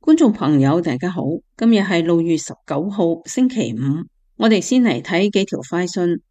觀眾朋友，大家好，今日係6月19號，星期五。我哋先嚟睇幾條快訊。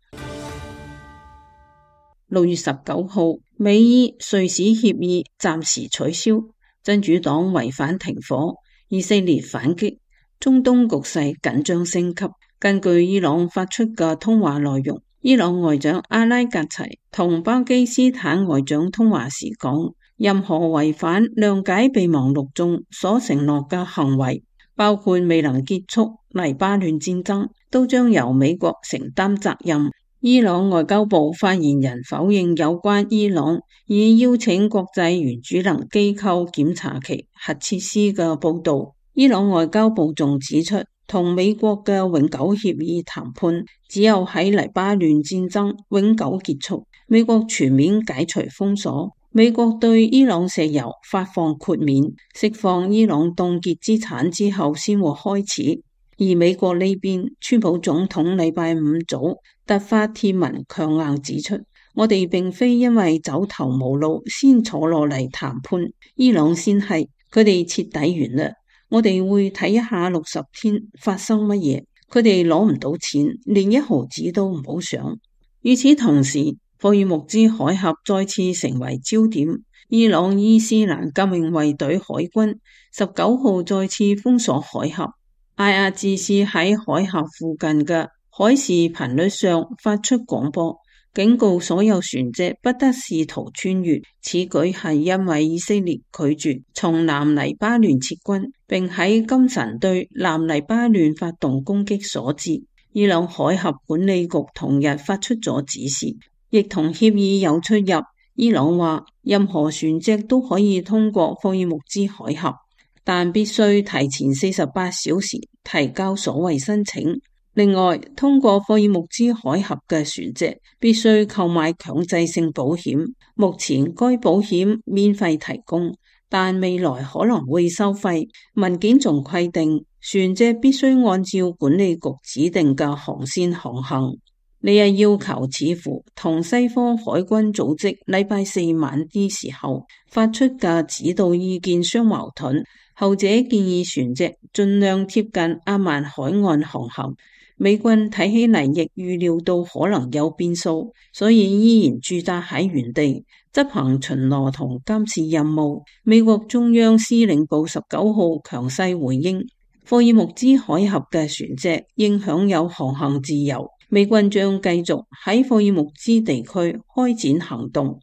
6月19號，美伊瑞士協議暫時取消，真主黨違反停火，以色列反擊，中東局勢緊張升級。根據伊朗發出嘅通話內容，伊朗外長阿拉格齊同巴基斯坦外長通話時講，任何違反諒解備忘錄中所承諾嘅行為，包括未能結束黎巴嫩戰爭，都將由美國承擔責任。伊朗外交部發言人否認有關伊朗已邀請國際原子能機構檢查其核設施嘅報道。伊朗外交部仲指出，同美國嘅永久協議談判只有喺黎巴嫩戰爭永久結束，美國全面解除封鎖，美國對伊朗石油發放豁免，釋放伊朗凍結資產之後先會開始。而美國呢邊，川普總統禮拜五早突發貼文強硬指出，我哋並非因為走投無路先坐落嚟談判，伊朗先係，佢哋徹底完啦。我哋會睇一下60天發生乜嘢，佢哋攞唔到錢，連1毫子都唔好想。與此同時，霍爾木茲海峽再次成為焦點，伊朗伊斯蘭革命衛隊海軍19號再次封鎖海峽。IRGC 喺海峽附近嘅海事頻率上發出廣播，警告所有船隻不得試圖穿越。此舉係因為以色列拒絕從南黎巴嫩撤軍，並喺今晨對南黎巴嫩發動攻擊所致。伊朗海峽管理局同日發出咗指示，亦同協議有出入。伊朗話，任何船隻都可以通過霍爾木茲海峽，但必須提前48小時提交所謂申請。另外，通過霍爾木茲海峽嘅船隻必須購買強制性保險。目前該保險免費提供，但未來可能會收費。文件仲規定，船隻必須按照管理局指定嘅航線航行。呢一要求似乎同西方海軍組織禮拜4晚啲時候發出嘅指導意見相矛盾。後者建議船隻盡量貼近阿曼海岸航行。美軍睇起嚟亦預料到可能有變數，所以依然駐紮喺原地執行巡邏同監視任務。美國中央司令部19號強勢回應，霍爾木茲海峽嘅船隻應享有航行自由。美軍將繼續喺霍爾木茲地區開展行動，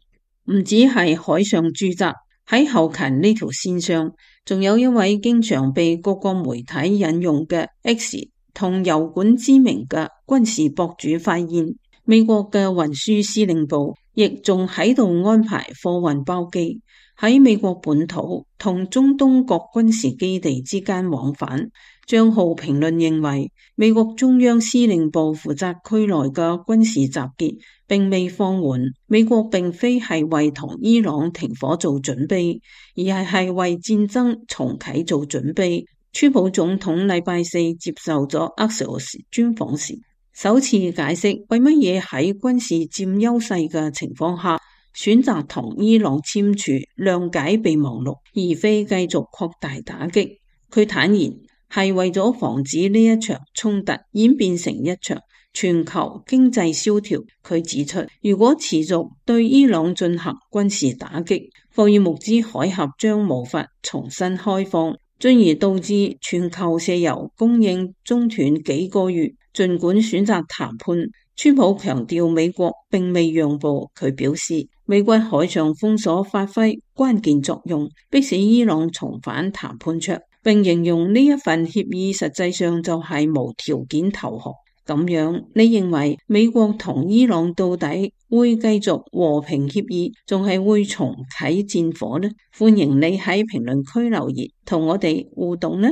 唔止係海上駐紮，喺後勤呢條線上，仲有一位經常被各個媒體引用嘅 X 同油管知名嘅軍事博主發現，美國嘅運輸司令部亦仲喺度安排貨運包機喺美國本土同中東各軍事基地之間往返。賬號評論認為，美國中央司令部負責區內嘅軍事集結並未放緩。美國並非係為同伊朗停火做準備，而係為戰爭重啟做準備。川普總統禮拜4接受咗 Axios 專訪時，首次解釋為乜嘢喺軍事佔優勢嘅情況下選擇同伊朗簽署諒解備忘錄，而非繼續擴大打擊。佢坦言係為咗防止呢一場衝突演變成一場全球經濟蕭條。佢指出，如果持續對伊朗進行軍事打擊，霍爾木茲海峽將無法重新開放，進而導致全球石油供應中斷幾個月。儘管選擇談判，川普強調美國並未讓步。佢表示，美軍海上封鎖發揮關鍵作用，迫使伊朗重返談判桌，並形容呢一份協議實際上就係無條件投降。咁樣，你認為美國同伊朗到底會繼續和平協議，仲係會重啟戰火呢？歡迎你喺評論區留言，同我哋互動呢。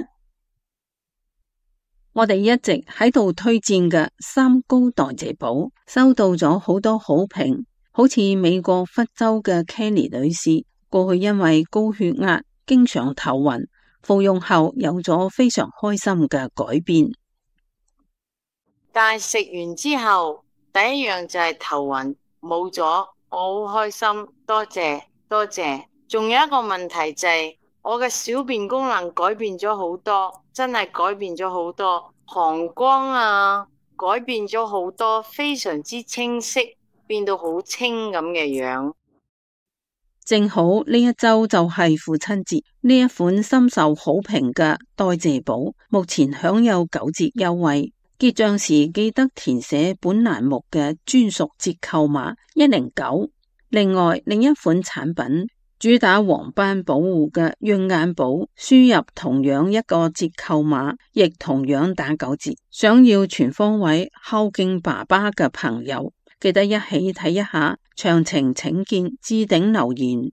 我哋一直喺度推薦嘅三高代謝寶收到咗好多好評，好似美國佛州嘅 Kelly 女士，過去因為高血壓經常頭暈，服用後有咗非常開心嘅改變。但係食完之後，第一樣就係頭暈冇咗，我好開心，多謝多謝。仲有一個問題就係我嘅小便功能改變咗好多，真係改變咗好多，膀胱啊改變咗好多，非常之清晰，變到好清咁嘅樣。正好呢一周就係父親節，呢一款深受好評嘅代謝寶目前享有9折優惠，結賬時記得填寫本欄目嘅專屬折扣碼109。另外另一款產品主打黃斑保護嘅潤眼寶，輸入同樣一個折扣碼，亦同樣打9折。想要全方位孝敬爸爸嘅朋友，記得一起睇一下，詳情請見置頂留言。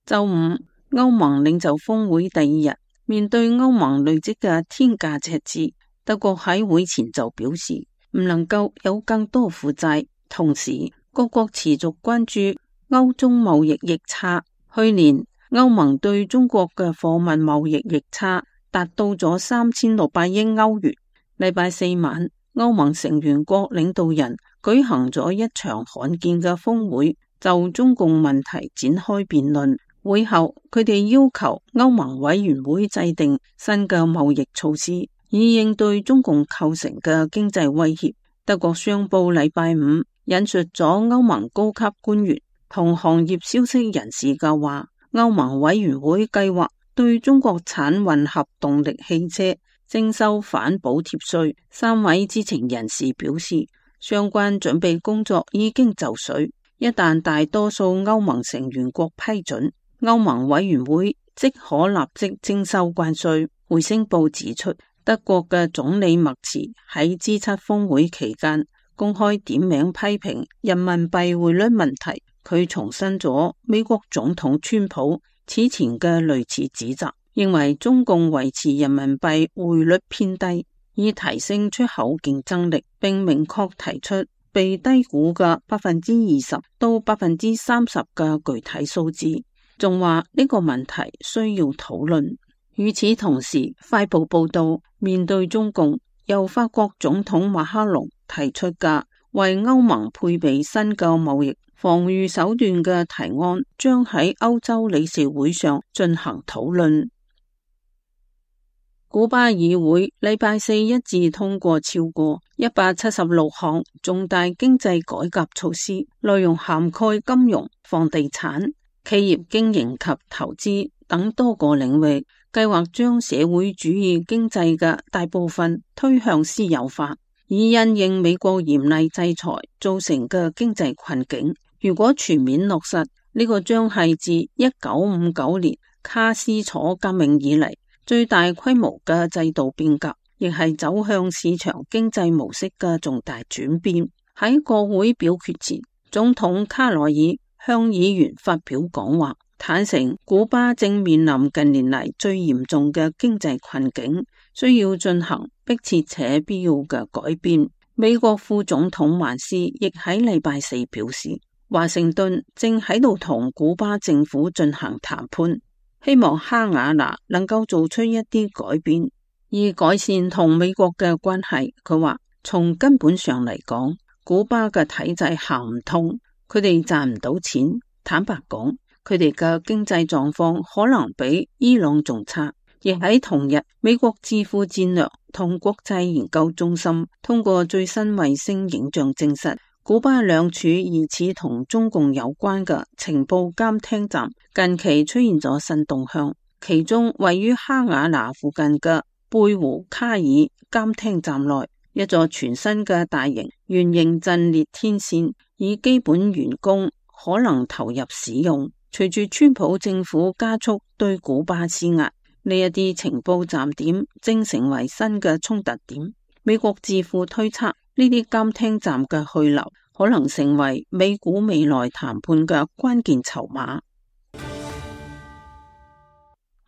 周五，歐盟領袖峰會第2日，面對歐盟累積嘅天價赤字，德國喺會前就表示唔能夠有更多負債，同時各國持續關注歐中貿易逆差。去年歐盟對中國嘅貨物貿易逆差達到咗3600億歐元。禮拜四晚，歐盟成員國領導人舉行咗一場罕見嘅峰會，就中共問題展開辯論。會後，佢哋要求歐盟委員會制定新嘅貿易措施，以應對中共構成嘅經濟威脅。德國商報禮拜五引述咗歐盟高級官員同行業消息人士嘅話，歐盟委員會計劃對中國產混合動力汽車徵收反補貼稅。3位知情人士表示，相關準備工作已經就緒，一旦大多數歐盟成員國批准，歐盟委員會即可立即徵收關稅。匯星報指出，德國嘅總理默茨喺 G7 峰會期間公開點名批評人民幣匯率問題，佢重申咗美國總統川普此前嘅類似指責，認為中共維持人民幣匯率偏低，以提升出口競爭力，並明確提出被低估嘅20%到30%嘅具體數字，仲話呢個問題需要討論。與此同時，快報報道，面對中共，由法國總統馬克龍提出嘅為歐盟配備新嘅貿易防禦手段嘅提案，將喺歐洲理事會上進行討論。古巴議會禮拜四一致通過超過176項重大經濟改革措施，內容涵蓋金融、房地產、企業經營及投資等多個領域，計劃將社會主義經濟嘅大部分推向私有化，以因應美國嚴厲制裁造成嘅經濟困境。如果全面落實，呢個將係自1959年卡斯楚革命以嚟最大規模嘅制度變革，亦係走向市場經濟模式嘅重大轉變。喺國會表決前，總統卡內爾向議員發表講話，坦承古巴正面臨近年嚟最嚴重嘅經濟困境，需要進行迫切且必要嘅改變。美國副總統萬斯亦喺禮拜四表示，華盛頓正喺度同古巴政府進行談判，希望哈瓦那能夠做出一啲改變，以改善同美國嘅關係。佢話，從根本上嚟講，古巴嘅體制行唔通，佢哋賺唔到錢。坦白講，佢哋嘅經濟狀況可能比伊朗仲差。亦喺同日，美國智庫戰略同國際研究中心通過最新衛星影像證實，古巴兩處疑似同中共有關嘅情報監聽站近期出現咗新動向，其中位於哈瓦那附近嘅貝胡卡爾監聽站內，一座全新嘅大型圓形陣列天線已基本完工，可能投入使用。隨住川普政府加速對古巴施壓，呢一啲情報站點正成為新嘅衝突點。美國智庫推測，呢啲監聽站嘅去留可能成為美古未來談判嘅關鍵籌碼。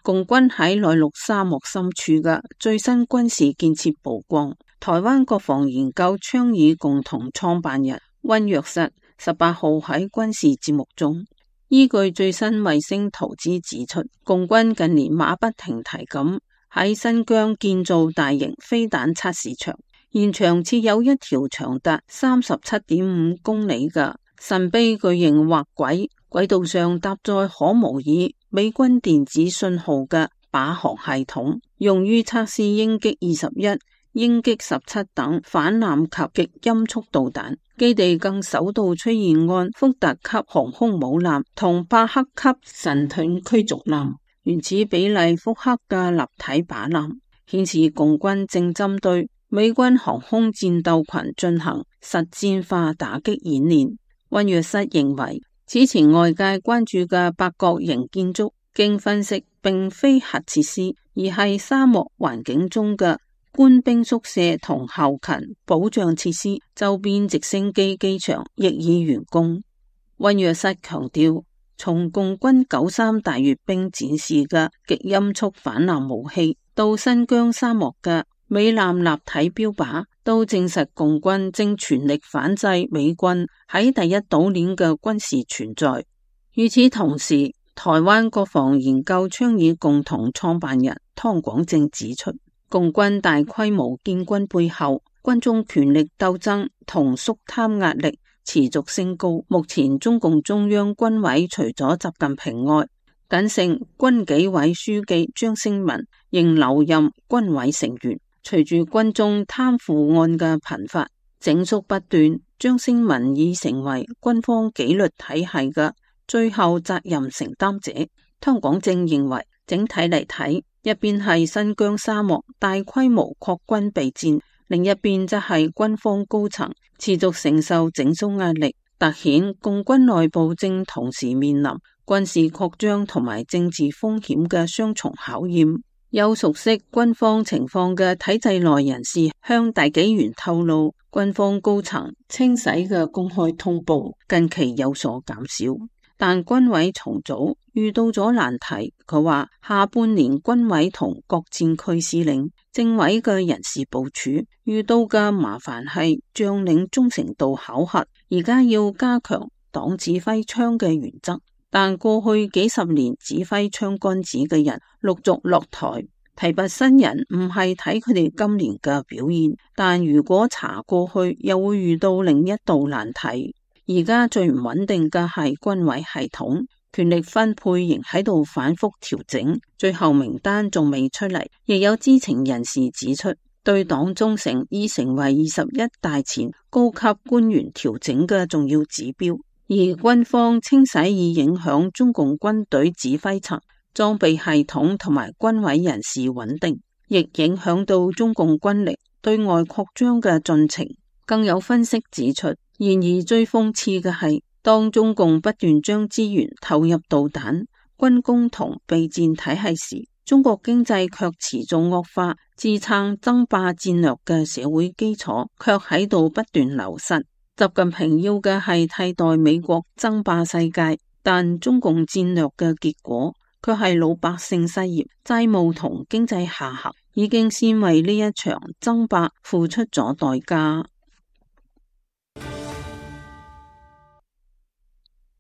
共軍喺內陸沙漠深處嘅最新軍事建設曝光。台灣國防研究倡議共同創辦人溫若瑟18號喺軍事節目中，依據最新衛星圖紙指出，共軍近年馬不停蹄咁喺新疆建造大型飛彈測試場，現場設有一條長達37.5公里嘅神秘巨型滑軌，軌道上搭載可模擬美軍電子信號嘅靶航系統，用於測試鷹擊21、鷹擊17等反艦及極音速導彈。基地更首度出現按福特級航空母艦同伯克級神盾驅逐艦原始比例複刻嘅立體靶艦，顯示共軍正針對美軍航空戰鬥群進行實戰化打擊演練。溫若瑟認為，此前外界關注嘅八角形建築，經分析並非核設施，而係沙漠環境中嘅官兵宿舍同後勤保障設施。周邊直升機機場亦已完工。溫若瑟強調，從共軍93大閱兵展示嘅極音速反艦武器，到新疆沙漠嘅美艦立體標靶，都證實共軍正全力反制美軍喺第一島鏈嘅軍事存在。與此同時，台灣國防研究倡議共同創辦人湯廣正指出，共軍大規模建軍背後，軍中權力鬥爭同肅貪壓力持續升高。目前中共中央軍委除咗習近平外，僅剩軍紀委書記張升民仍留任軍委成員。隨住軍中貪腐案嘅頻發，整肅不斷，張升民已成為軍方紀律體系嘅最後責任承擔者。湯廣正認為，整體嚟睇，一邊係新疆沙漠大規模擴軍備戰，另一邊則係軍方高層持續承受整肅壓力，凸顯共軍內部正同時面臨軍事擴張同埋政治風險嘅雙重考驗。有熟悉軍方情況嘅體制內人士向大紀元透露，軍方高層清洗嘅公開通報近期有所減少，但軍委重組遇到咗難題。佢話下半年軍委同各戰區司令、政委嘅人事部署遇到嘅麻煩係將領忠誠度考核，而家要加強黨指揮槍嘅原則。但過去幾十年指揮槍桿子嘅人陸續落台，提拔新人唔係睇佢哋今年嘅表現，但如果查過去又會遇到另一道難題。而家最唔穩定嘅係軍委系統，權力分配仍喺度反覆調整，最後名單仲未出嚟。亦有知情人士指出，對黨忠誠已成為21大前高級官員調整嘅重要指標。而軍方清洗已影響中共軍隊指揮層、裝備系統同埋軍委人事穩定，亦影響到中共軍力對外擴張嘅進程。更有分析指出，然而最諷刺嘅係，當中共不斷將資源投入導彈、軍工同備戰體系時，中國經濟卻持續惡化，支撐爭霸戰略嘅社會基礎卻喺度不斷流失。習近平要嘅係替代美國爭霸世界，但中共戰略嘅結果卻係老百姓失業、債務同經濟下行，已經先為呢一場爭霸付出咗代價。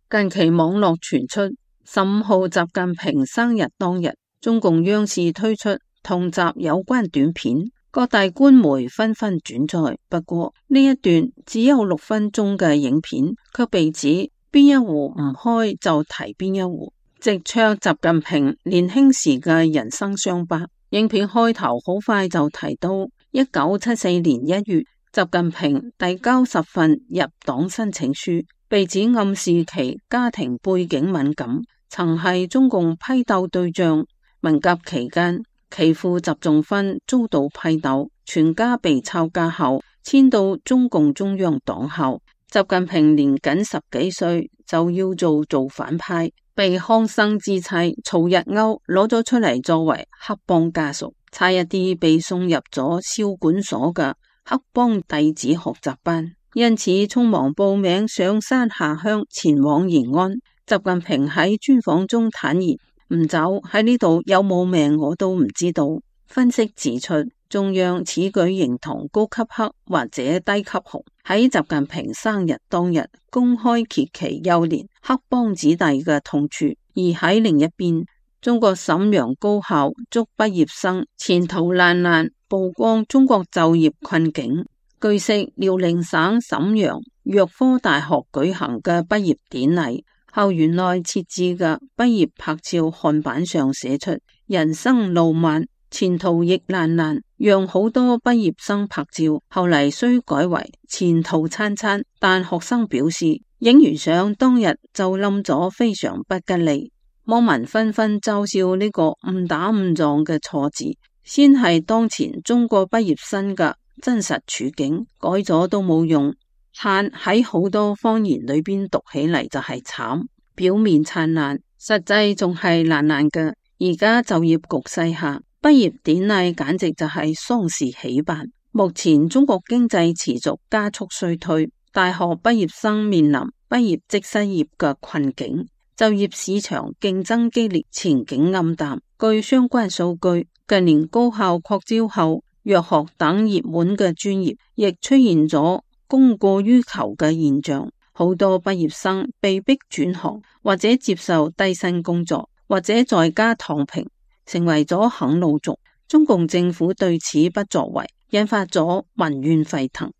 近期網絡傳出15號習近平生日當日，中共央視推出同習有關短片，各大官媒紛紛轉載。不過呢一段只有6分鐘嘅影片，卻被指邊一壺唔開就提邊一壺，直戳習近平年輕時嘅人生傷疤。影片開頭好快就提到1974年1月，習近平遞交10份入黨申請書，被指暗示其家庭背景敏感，曾係中共批鬥對象。文革期間，其父習仲勳遭到批鬥，全家被抄家後遷到中共中央黨校。習近平年僅10幾歲就要做反派，被康生之妻曹日歐攞咗出嚟作為黑幫家屬，差一啲被送入咗少管所嘅黑幫弟子學習班，因此匆忙報名上山下鄉前往延安。習近平喺專訪中坦言，唔走喺呢度有冇命我都唔知道。分析指出，中央此舉形同高級黑或者低級紅，喺習近平生日當日公開揭其幼年黑幫子弟嘅痛處。而喺另一邊，中國瀋陽高校捉畢業生前途爛漫，曝光中國就業困境。據悉，遼寧省瀋陽藥科大學舉行嘅畢業典禮，校園內設置嘅畢業拍照看板上寫出人生路漫，前途亦爛爛，讓好多畢業生拍照，後嚟雖改為前途燦燦，但學生表示影完相當日就冧咗，非常不吉利。網民紛紛嘲笑呢個誤打誤撞嘅錯字，先係當前中國畢業生嘅真實處境，改咗都冇用。燦喺好多方言裏邊讀起嚟就係慘，表面燦爛，實際仲係爛爛嘅。而家就業局勢下，畢業典禮簡直就係喪事喜辦。目前中國經濟持續加速衰退，大學畢業生面臨畢業即失業嘅困境，就業市場競爭激烈，前景暗淡。據相關數據，近年高校擴招後，藥學等熱門嘅專業亦出現咗供過於求嘅現象，好多畢業生被迫轉行，或者接受低薪工作，或者在家躺平，成為咗啃老族。中共政府對此不作為，引發咗民怨沸騰。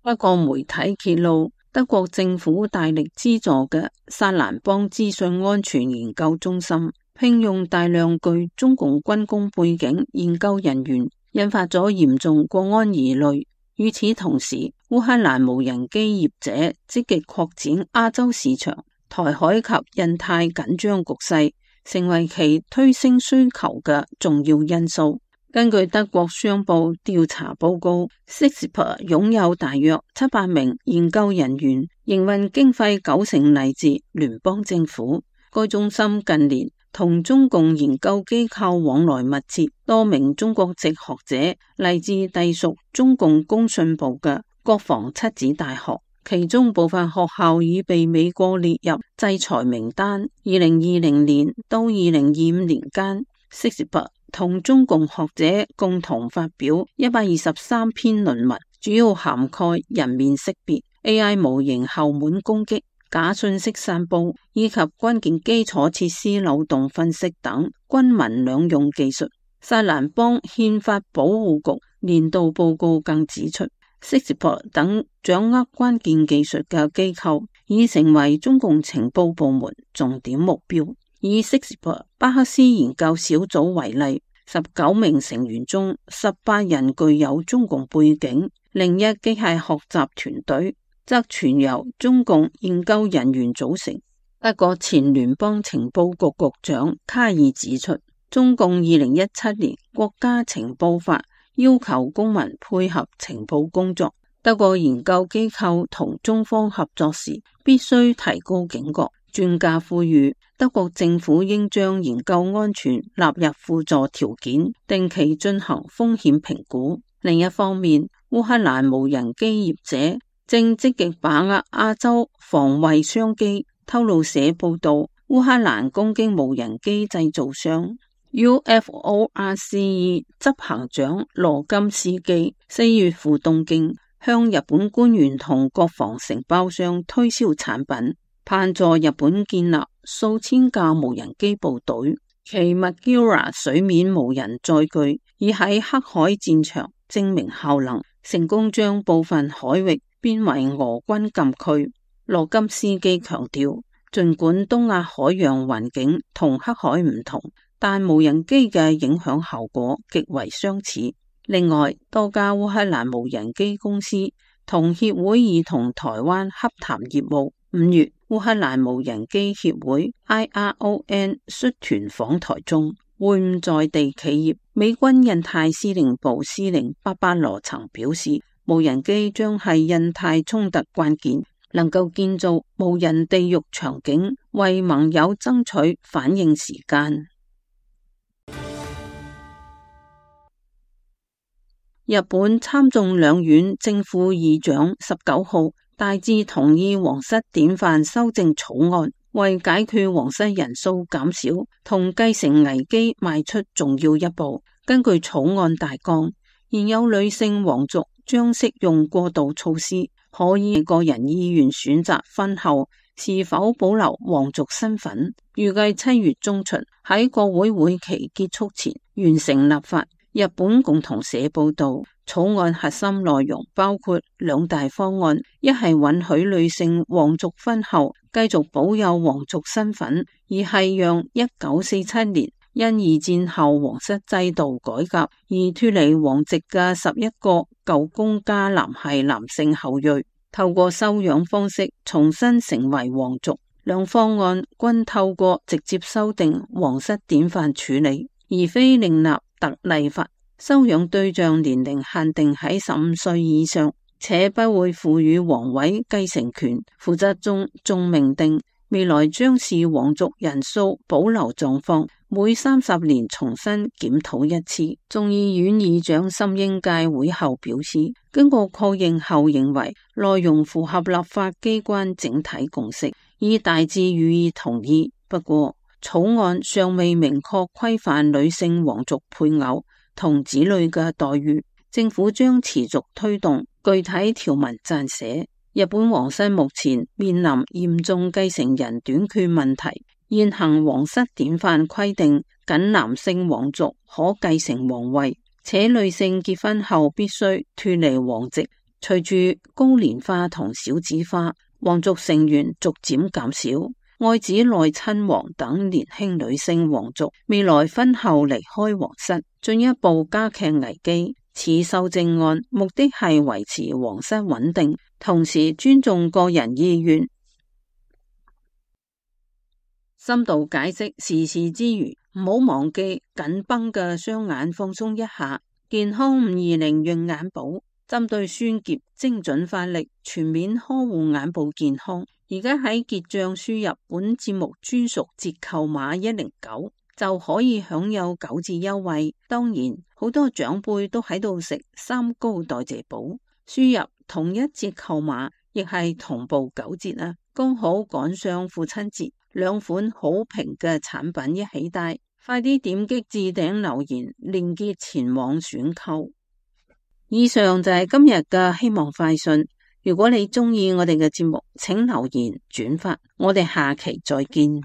不過媒體揭露，德國政府大力資助嘅薩蘭邦資訊安全研究中心聘用大量具中共軍工背景研究人員，引發咗嚴重國安疑慮。與此同時，烏克蘭無人機業者積極擴展亞洲市場，台海及印太緊張局勢成為其推升需求嘅重要因素。根據德國商報調查報告， CISPR 擁有大約700名研究人員，營運經費90%嚟自聯邦政府。該中心近年同中共研究機構往來密切，多名中國籍學者嚟自隸屬中共工信部嘅國防七子大學，其中部分學校已被美國列入制裁名單。2020年到2025年間， CISPR 同中共學者共同發表123篇論文，主要涵蓋人面識別、AI 模型後門攻擊、假信息散布以及關鍵基礎設施漏洞分析等軍民兩用技術。薩蘭邦憲法保護局年度報告更指出， CISPR 等掌握關鍵技術嘅機構已成為中共情報部門重點目標。以 CISPR 巴克斯研究小組為例，19名成員中18人具有中共背景，另一機械學習團隊則全由中共研究人員組成。德國前聯邦情報局局長卡爾指出，中共2017年國家情報法要求公民配合情報工作，德國研究機構同中方合作時必須提高警覺。專家呼籲德國政府應將研究安全納入輔助條件，定期進行風險評估。另一方面，烏克蘭無人機業者正積極把握亞洲防衛商機。透露社報道，烏克蘭攻擊無人機製造商 UFORCE 執行長羅金斯基4月赴東京，向日本官員同國防承包商推銷產品，盼助日本建立數千架無人機部隊。其 Magura 水面無人載具已喺黑海戰場證明效能，成功將部分海域變為俄軍禁區。羅金斯基強調，儘管東亞海洋環境同黑海唔同，但無人機嘅影響效果極為相似。另外，多家烏克蘭無人機公司同協會已同台灣洽談業務。5月，烏克蘭無人機協會 IRON 率團訪台中，會晤在地企業。美軍印太司令部司令巴巴羅曾表示，無人機將係印太衝突關鍵，能夠建造無人地獄場景，為盟友爭取反應時間。日本參眾兩院正副議長19號大致同意皇室典範修正草案，為解決皇室人數減少同繼承危機邁出重要一步。根據草案大綱，現有女性皇族將適用過渡措施，可以個人意願選擇婚後是否保留皇族身份。預計7月中旬喺國會會期結束前完成立法。日本共同社報道，草案核心內容包括兩大方案，一係允許女性皇族婚後繼續保有皇族身份，二係讓1947年因二戰後皇室制度改革而脫離皇籍嘅11個舊公家男系男性後裔，透過收養方式重新成為皇族。兩方案均透過直接修訂皇室典範處理，而非另立特例法。收養對象年齡限定喺15歲以上，且不會賦予皇位繼承權。附則中仲明定，未來將視皇族人數保留狀況，每30年重新檢討一次。眾議院議長森英介會後表示，經過確認後認為內容符合立法機關整體共識，已大致予以同意。不過草案尚未明確規範女性皇族配偶同子女嘅待遇，政府將持續推動，具體條文撰寫。日本皇室目前面臨嚴重繼承人短缺問題，現行皇室典範規定僅男性皇族可繼承皇位，且女性結婚後必須脫離皇籍。隨住高齡化同少子化，皇族成員逐漸減少，愛子內親王等年輕女性皇族未來婚後離開皇室，進一步加劇危機。此修正案目的係維持皇室穩定，同時尊重個人意願。深度解釋時事之餘，唔好忘記緊繃嘅雙眼放鬆一下。健康520潤眼寶針對酸澀精準發力，全面呵護眼部健康。而家喺結賬輸入本節目專屬折扣碼109，就可以享有9折優惠。當然，好多長輩都喺度食三高代謝寶，輸入同一折扣碼亦係同步9折啊！剛好趕上父親節，兩款好評嘅產品一起帶，快啲點擊置頂留言鏈接前往選購。以上就係今日嘅希望快訊。如果你鍾意我哋嘅節目，請留言轉發，我哋下期再見。